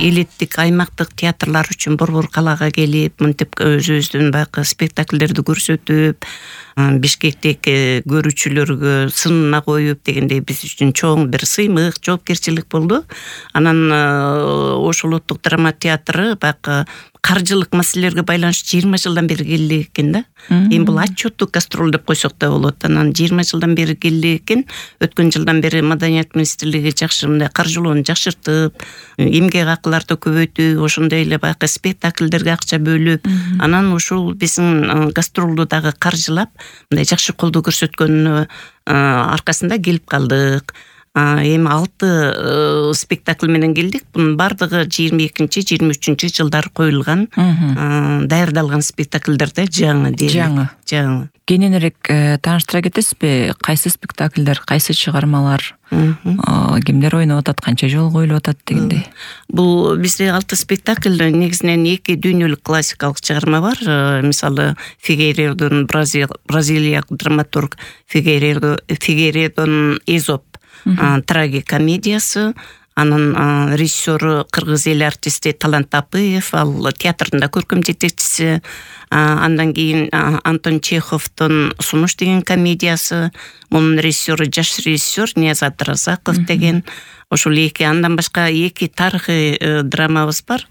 элиттик аймактык театрлар үчүн Борбор калаага келип, мынтип өзүбүздүн баягы спектакльдерди көрсөтүп, Бишкектеги көрүүчүлөргө сынына коюп дегендей биз үчүн чоң бир сыймык, жоопкерчилик болду. Анан Ош улуттук драма театры баягы каржылык маселелерге байланыштуу 20 жылдан бери келди экен да. Эми бул отчеттук гастроль деп койсок да болот. Анан 20 жылдан бери келди экен. Өткөн жылдан бери Маданият министрлиги жакшы мындай каржылоону жакшыртып, эмгек акыларды көбөйтүп, ошондой эле баягы спектакльдерге акча бөлүп, анан ушул биздин гастролду дагы каржылап, мындай жакшы колдоо көрсөткөнүнө аркасында келип калдык. Эми 6 спектакль менен келдик. Бунун бардыгы 22-23 жылдары коюлган, даярдалган спектакльдер да, жаңы. Кененирээк тааныштыра кетесизби? Кайсы спектакльдер, кайсы чыгармалар, кимдер ойноп атат, канча жолу коюлуп атат дегендей? Бул бизде 6 спектакль, негизинен 2 дүйнөлүк классикалык чыгарма бар. Мисалы, Фигейредон, бразилиялык драматург Фигейредон Эзоп трагикомедиясы, анын режиссеру кыргыз эл артисти Талант Тапыев, ал театрдын да көркөм жетекчиси. Андан кийин Антон Чеховдун Сунуш деген комедиясы, мунун режиссеру жаш режиссер Ниязат Разаков деген. Ошол андан башка 2 тарыхый драмабыз бар.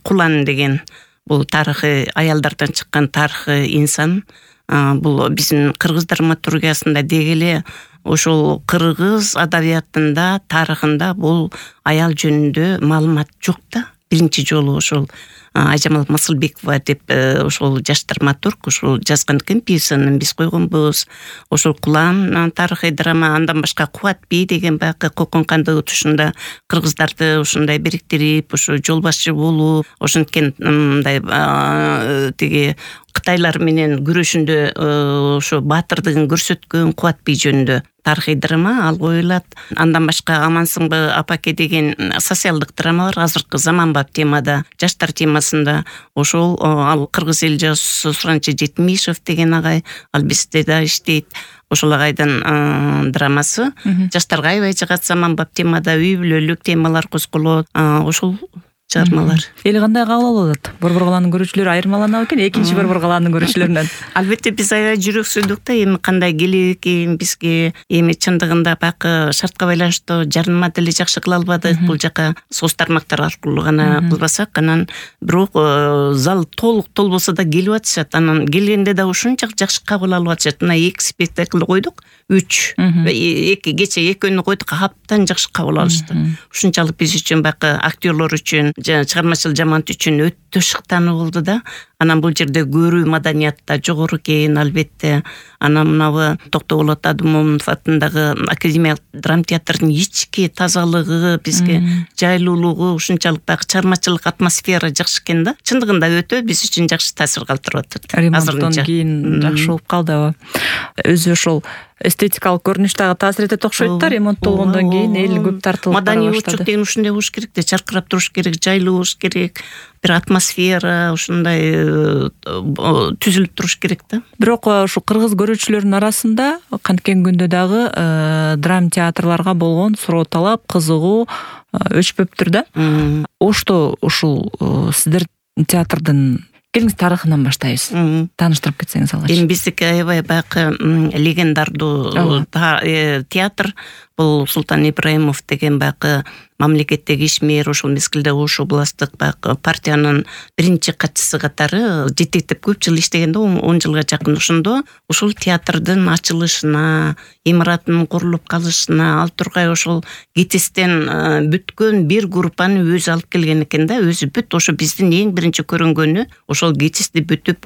Кулан деген, бул тарыхый аялдардан чыккан тарыхый инсан. Бул биздин кыргыз драматургиясында деги эле ошол кыргыз адабиятында, тарыхында бул аял жөнүндө маалымат жок да. Биринчи жолу ошол Айжамал Масылбекова деп ошол жаш драматург ошол жазган экен, пьесаны биз койгонбуз. Ошол Кулан тарыхый драма, андан башка Кубат бей деген баягы Кокон кандыгы тушунда кыргыздарды ушундай бириктирип, ошо жол башчы болуп, ошенткен мындай тиги Кытайлар менен күрөшүндө ошо баатырдыгын көрсөткөн Кубат бей жөнүндө тарыхый драма ал коюлат. Андан башка Амансыңбы апаке деген социалдык драма бар, азыркы заманбап темада, жаштар темасында. Ошол ал кыргыз эл жазуусу Суранчы Жетимишев деген агай, ал бизде да иштейт. Ошол агайдын драмасы жаштарга аябай жагат, заманбап темада үй бүлөлүк темалар козголот. Ошол чыгармалар. Эл кандай кабыл алып атат? Борбор калаанын көрүүчүлөрү айырмаланабы экен экинчи Борбор калаанын көрүүчүлөрүнөн? Албетте биз аябай жүрөксүздүк да, эми кандай келек экен бизге, эми чындыгында баягы шартка байланыштуу жарнама деле жакшы кыла албадык. Бул жака соц тармактар аркылуу гана кылбасак, анан бирок зал толбосо да келип атышат. Анан келгенде да ушунча жакшы кабыл алып атышат. Мына 2 спектакль койдук, 3, 2 кече экөөнү койдук, абдан жакшы кабыл алышты. Ушунчалык биз үчүн баягы актерлор үчүн, чыгармачыл жамаат үчүн өтө шыктануу болду да. Анан бул жерде көрүү маданиятта жогору экен, албетте. Анан мынабы Токтоболот Адымов атындагы Академиялык драма театрдын ички тазалыгы, бизге жайлуулугу, ушунчалык баягы чыгармачылык атмосфера жакшы экен да. Чындыгында өтө биз үчүн жакшы таасир калтырып атат. Ремонттон кийин жакшы болуп калдыбы? Өзү ошол эстетикалык көрүнүш дагы таасир этет окшойт да, ремонттолгондон кийин эл көп тартылып бара баштады. Маданий учук деген ушундай болуш керек да, чаркырап туруш керек, жайлуу болуш керек, бир атмосфера ушундай түзүлүп туруш керек да. Бирок ушу кыргыз көрүүчүлөрүнүн арасында канткен күндө дагы драма театрларга болгон суроо талап, кызыгуу өчпөптүр да. Ошто ушул сиздердин театрдын келиңиз тарыхынан баштайбыз. Тааныштырып кетсеңиз алгач. Эми биздики аябай баягы легендардуу театр. Бул Султан Ибраимов деген баягы мамлекеттеги ишмер, ошол мезгилде Ош областтык баягы партиянын биринчи катчысы катары жетектеп көп жыл иштеген да, 10 жылга жакын. Ошондо ушул театрдын ачылышына, имаратынын курулуп калышына ал тургай ошол ГИТИСтен бүткөн бир группаны өзү алып келген экен да, өзү бүт. Ошо биздин эң биринчи көрүнгөнү ошол ГИТИСти бүтүп,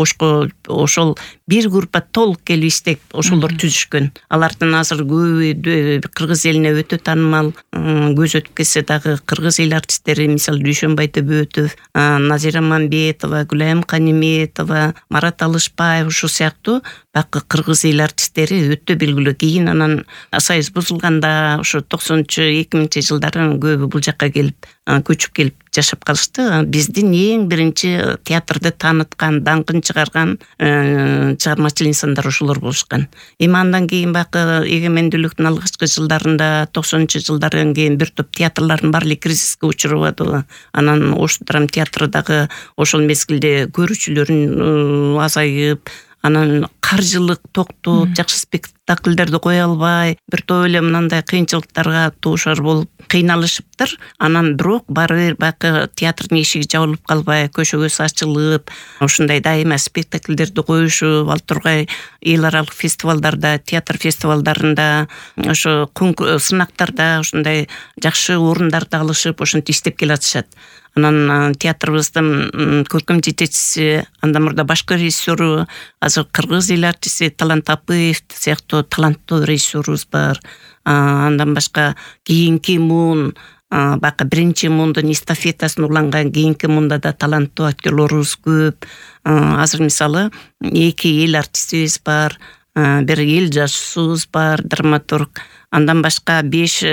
ошол бир группа толук келип иштеп, ошолор түзүшкөн. Алардын азыр көбү кыргыз элине өтө таанымал, көз өтүп кетсе дагы кыргыз эл артисттери, мисалы Дүйшөнбай Төбөтов, Назира Мамбетова, Гүлайым Каниметова, Марат Алышбаев, ушул сыяктуу баягы кыргыз эл артисттери өтө белгилүү. Кийин анан союз бузулганда, ошо 90-2000 жылдары көбү бул жакка келип көчүп келип жашап калышты. Биздин эң биринчи театрды тааныткан, даңкын чыгарган чыгармачыл инсандар ошолор болушкан. Эми андан кийин баягы эгемендүүлүктүн алгачкы жылдарында 90-жылдардан кийин бир топ театрлардын баары кризиске учурабады. Анан Ош драм театры дагы ошол мезгилде көрүүчүлөрүн азайып, анан каржылык токтоп, жакшы спектакльдерди кое албай, бир топ эле мындай кыйынчылыктарга дуушар болуп кыйналышыптыр. Анан бирок баары бир баягы театрдын эшиги жабылып калбай, көчөгөсү ачылып, ушундай дайыма спектакльдерди коюшуп, ал тургай эл аралык фестивалдарда, театр фестивалдарында, ошо сынактарда ушундай жакшы орундарды алышып, ошентип иштеп келатышат. Анан театрыбыздын көркөм жетекчиси, андан мурда башкы режиссеру, азыр кыргыз эл артисти Талант Апыев сыяктуу таланттуу режиссерубуз бар. Андан башка кийинки муун, баягы биринчи муундун эстафетасын уланган кийинки муунда да таланттуу актерлорубуз көп. Азыр мисалы 2 эл артистибиз бар, бир эл жазуусубуз бар, драматург. Андан башка 5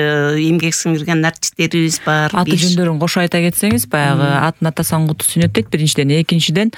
эмгек сиңирген артисттерибиз бар. Аты жөндөрүн кошо айта кетсеңиз, баягы атын атасаң куту сүнөттөйт биринчиден, экинчиден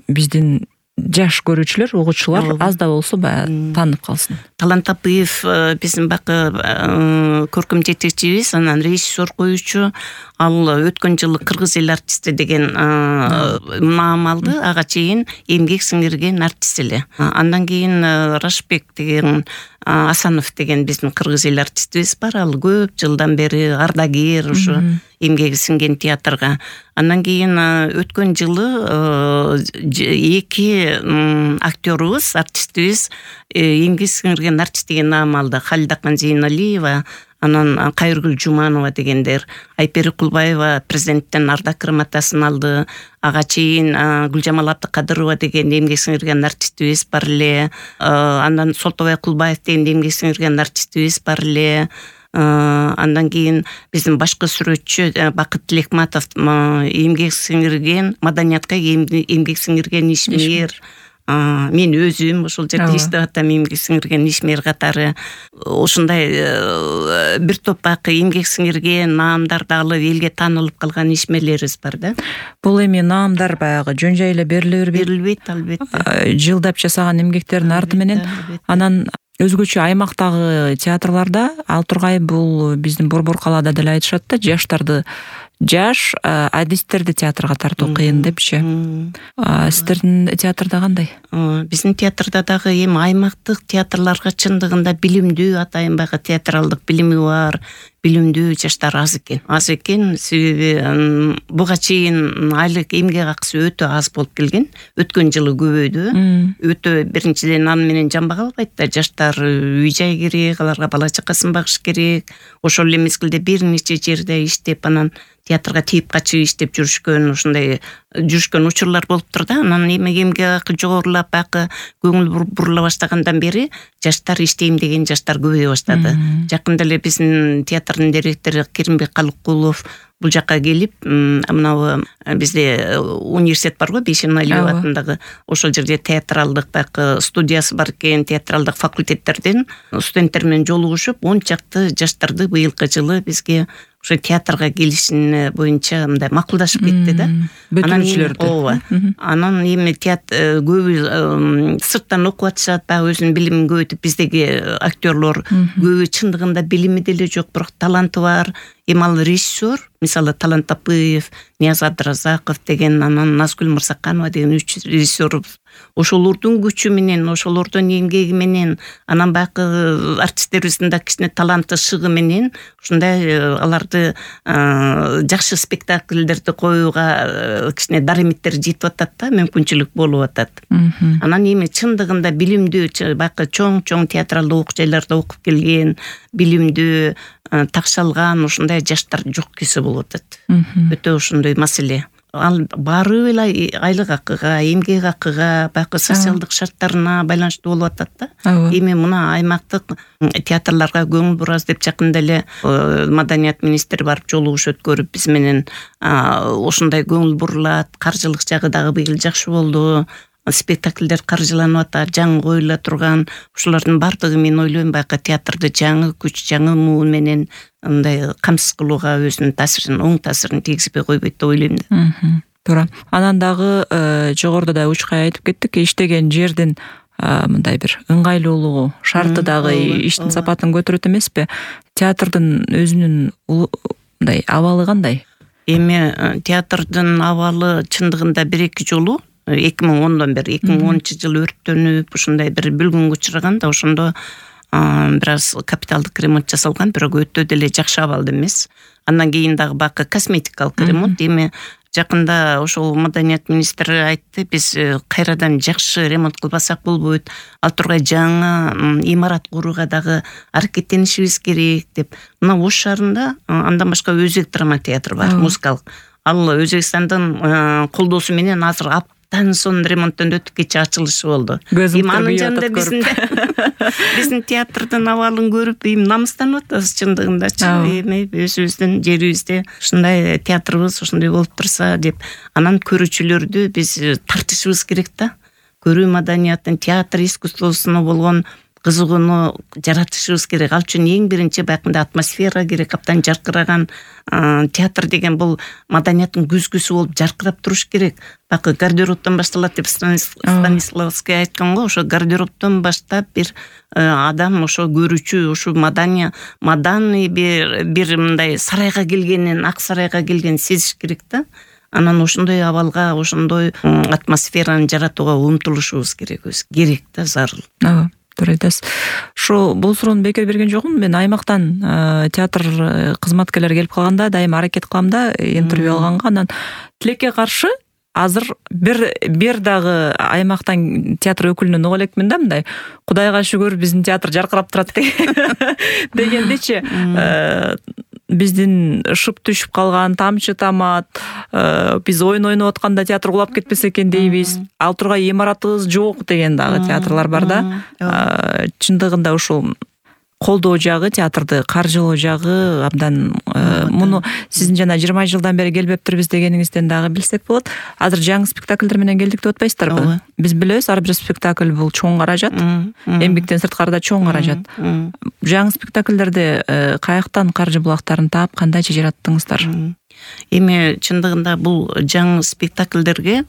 биздин жаш көрүүчүлөр, угуучулар аз да болсо баягы таанып калсын. Талант Апыев биздин баягы көркөм жетекчибиз, анан режиссер коюучу. Ал өткөн жылы кыргыз эл артисти деген маам алды, ага чейин эмгек сиңирген артист эле. Андан кийин Рашбек деген Асанов деген биздин кыргыз эл артистибиз бар. Ал көп жылдан бери ардагер ушу эмгеги сиңген театрга. Андан кийин өткөн жылы 2 актёрубуз, артистибиз эмгек сиңирген артист деген наам алды. Халидахан Зейналиева, анан Кайыргүл Жуманова дегендер. Айпери Кулбаева президенттен ардак грамотасын алды. Ага чейин Гүлжамал Абдыкадырова деген эмгек сиңирген артистибиз бар эле. Андан Солтобай Кулбаев деген эмгек сиңирген артистибиз бар эле. Андан кийин биздин башкы сүрөтчү Бакыт Тилекматов эмгек сиңирген, маданиятка эмгек сиңирген ишмер. Мен өзүм ошол жерде иштеп атам, эмгек сиңирген ишмер катары. Ошундай бир топ баягы эмгек сиңирген наамдарды алып элге таанылып калган ишмерлерибиз бар да. Бул эми наамдар баягы жөн жай эле бериле бербейт. Берилбейт, албетте. Жылдап жасаган эмгектердин арды менен. Анан өзгөчө аймактагы театрларда ал тургай бул биздин Борбор калаада деле айтышат да, жаш адистерди театрга тартуу кыйын депчи. Сиздердин театрда кандай? Биздин театрда дагы эми аймактык театрларга чындыгында билимдүү, атайын баягы театралдык билими бар, билимдүү жаштар аз экен. Себеби буга чейин айлык эмгек акысы өтө аз болуп келген. Өткөн жылы көбөйдү. Өтө биринчиден аны менен жамбак албайт да, жаштар үй жай керек, аларга бала чакасын багыш керек. Ошол эле мезгилде бир нече жерде иштеп, анан театрга тийип качып иштеп жүрүшкөн, ушундай жүрүшкөн учурлар болуптур да. Анан эми эмгек акы жогорулап, баягы көңүл бурула баштагандан бери жаштар иштейм деген жаштар көбөйө баштады. Жакында эле биздин театрдын директору Керимбек Калыкулов бул жака келип, мынабу бизде университет бар го, Бейшен Алиева атындагы, ошол жерде театралдык баягы студиясы бар экен, театралдык факультеттерден студенттер менен жолугушуп, 10 чакты жаштарды быйылкы жылы бизге ошо театрга келишин боюнча мындай макулдашып кетти да. Бөтүрүүчүлөрдү. Анан эми театр көбү сырттан окуп атышат, баягы өзүнүн билимин көбөйтүп, биздеги актерлор көбү чындыгында билими деле жок, бирок таланты бар. Эми ал режиссер, мисалы Талант Апыев, Нияз Абдыразаков деген, анан Назгүл Мырзаканова деген 3 режиссер. Ошолордун күчү менен, ошолордун эмгеги менен, анан баягы артисттерибиздин да кичине таланты шыгы менен ушундай аларды жакшы спектакльдерди коюуга кичине даремиттер жетип атат да, мүмкүнчүлүк болуп атат. Анан эми чындыгында билимдүү, баягы чоң театралдык окуу жайларда окуп келген, билимдүү, такшалган ушундай жаштар жок кесе болуп атат. Өтө ушундай маселе. Ал баары эле айлык акыга, эмгек акыга, баягы социалдык шарттарына байланыштуу болуп атат да. Эми мына аймактык театрларга көңүл бурабыз деп жакында эле маданият министри барып жолугуш өткөрүп биз менен ушундай көңүл бурулат, каржылык жагы дагы быйыл жакшы болду. спектакльдер каржыланып атат, жаңы коюла турган. Ушулардын бардыгы мен ойлойм баягы театрды жаңы күч, жаңы муу менен мындай камсыз кылууга өзүнүн таасирин, оң таасирин тийгизбей койбойт деп ойлойм да. Туура. Анан дагы жогоруда да учкай айтып кеттик, иштеген жердин мындай бир ыңгайлуулугу, шарты дагы иштин сапатын көтөрөт эмеспи? Театрдын өзүнүн мындай абалы кандай? Эми театрдын абалы чындыгында 1-2 жолу 2010дон бери 2010-жылы өрттөнүп, ушундай бир бүлгүнгө учураган да, ошондо бир аз капиталдык ремонт жасалган, бирок өтө деле жакшы абалда эмес. Андан кийин дагы бакы косметикалык ремонт. Эми жакында ошол маданият министри айтты, биз кайрадан жакшы ремонт кылбасак болбойт, ал тургай жаңы имарат курууга дагы аракеттенишибиз керек деп. Мына Ош шаарында андан башка Өзек драма театры бар, музыкалык. Ал Өзбекстандын колдоосу менен азыр аптан сон ремонттон өтүп кечээ ачылышы болду. Анын жанында биздин театрдын абалын көрүп намыстанып атабыз чындыгындачы. Эми өзүбүздүн жерибизде ушундай театрыбыз ошондой болуп турса деп, анан көрүүчүлөрдү биз тартышыбыз керек да. Көрүү маданиятын, театр искусствосуна болгон кызыгууну жаратышыбыз керек. Ал үчүн эң биринчи баягындай атмосфера керек, аптан жаркыраган. Театр деген бул маданияттын күзгүсү болуп жаркырап туруш керек. Бакы гардеробтон башталат деп Станиславский айткан го, ошо гардеробтон баштап бир адам, ошо көрүүчү, ошо маданный бир мындай сарайга келгенин, ак сарайга келгенин сезиш керек да. Анан ошондой абалга, ошондой атмосфераны жаратууга умтулушубуз керек да, зарыл. Туура айтасыз. Ошо бул суроону бекер берген жокмун. Мен аймактан театр кызматкерлери келип калганда дайыма аракет кылам да интервью алганга. Анан тилекке каршы азыр бир дагы аймактан театр өкүлүнөн уга элекмин да, мындай Кудайга шүгүр биздин театр жаркырап турат дегендечи. Биздин шып түшүп калган, тамчы тамат, биз ойноп атканда театр кулап кетпесе экен дейбиз. Ал тургай имаратыбыз жок деген дагы театрлар бар да. Чындыгында ушул колдоо жагы, театрды каржылоо жагы абдан муну сиздин жана 20 жылдан бери келбептирбиз дегениңизден дагы билсек болот. Азыр жаңы спектакльдер менен келдик деп атпайсыздарбы? Биз билебиз, ар бир спектакль бул чоң каражат. Эмгектен сырткары да чоң каражат. Жаңы спектакльдерде каяктан каржы булактарын таап, кандайча жараттыңыздар? Эми чындыгында бул жаңы спектакльдерге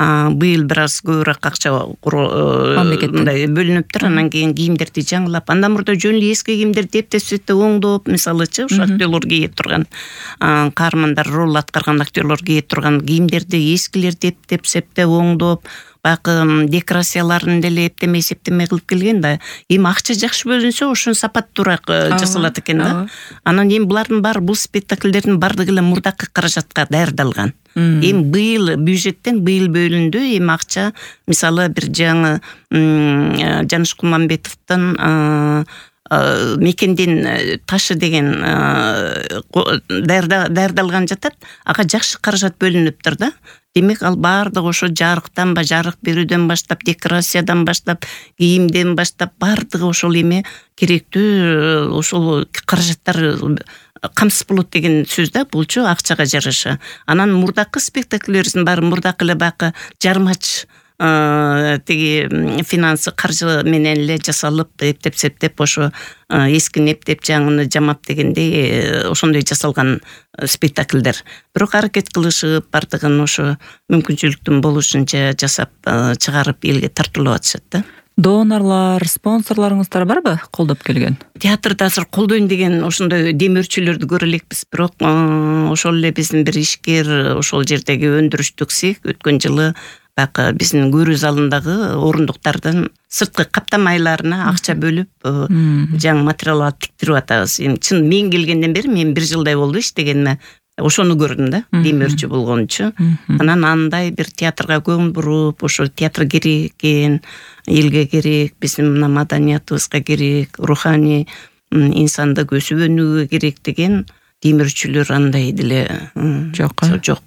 быйыл бир аз көбүрөөк акча мындай бөлүнүптүр. Анан кийин кийимдерди жаңылап, андан мурда жөн эле эски кийимдерди эптеп оңдоп, мисалычы ушу актерлор кийип турган, каармандар роль аткарган актерлор кийип турган кийимдерди, эскилерди эптеп оңдоп, бакы декорацияларын деле эптемей кылып келген да. Эми акча жакшы бөлүнсө, ошонун сапаттуураак жасалат экен да. Анан эми булардын баары, бул спектакльдердин бардыгы эле мурдакы каражатка даярдалган. Эми быйыл бюджеттен бөлүндү. Эми акча, мисалы бир жаңы Жаныш Куманбетовдун мекендин ташы деген даярдалган жатат. Ага жакшы каражат бөлүнүптүр да. Демек ал баардыгы ошо жарык берүүдөн баштап, декорациядан баштап, кийимден баштап баардыгы ошол эми керектүү ошол каражаттар камсыз болот деген сөз да, булчу акчага жараша. Анан мурдакы спектакльдерибиздин баары мурдакы эле бакы жармач тиги финансы каржы менен эле жасалып, эптеп ошо эскини эптеп жаңыны жамап дегендей ошондой жасалган спектакльдер. Бирок аракет кылышып, бардыгын ошо мүмкүнчүлүктүн болушунча жасап чыгарып элге тартуулап атышат да. Донорлар, спонсорларыңыздар барбы колдоп келген? Театрды азыр колдойм деген ошондой демөөрчүлөрдү көрө элекпиз, бирок ошол эле биздин бир ишкер ошол жердеги өндүрүштүк цех өткөн жылы бакы биздин көрүү залындагы орундуктардын сырткы каптамайларына акча бөлүп жаңы материал алып тиктирип атабыз. Эми чын мен келгенден бери мен 1 жылдай болду иштегениме. Ошону көрдүм да, демөөрчү болгончу. Анан андай бир театрга көңүл буруп, ошо театр керек экен, элге керек, биздин мына маданиятыбызга керек, руханий инсандык өсүп өнүүгө керек деген демөөрчүлөр андай деле жок.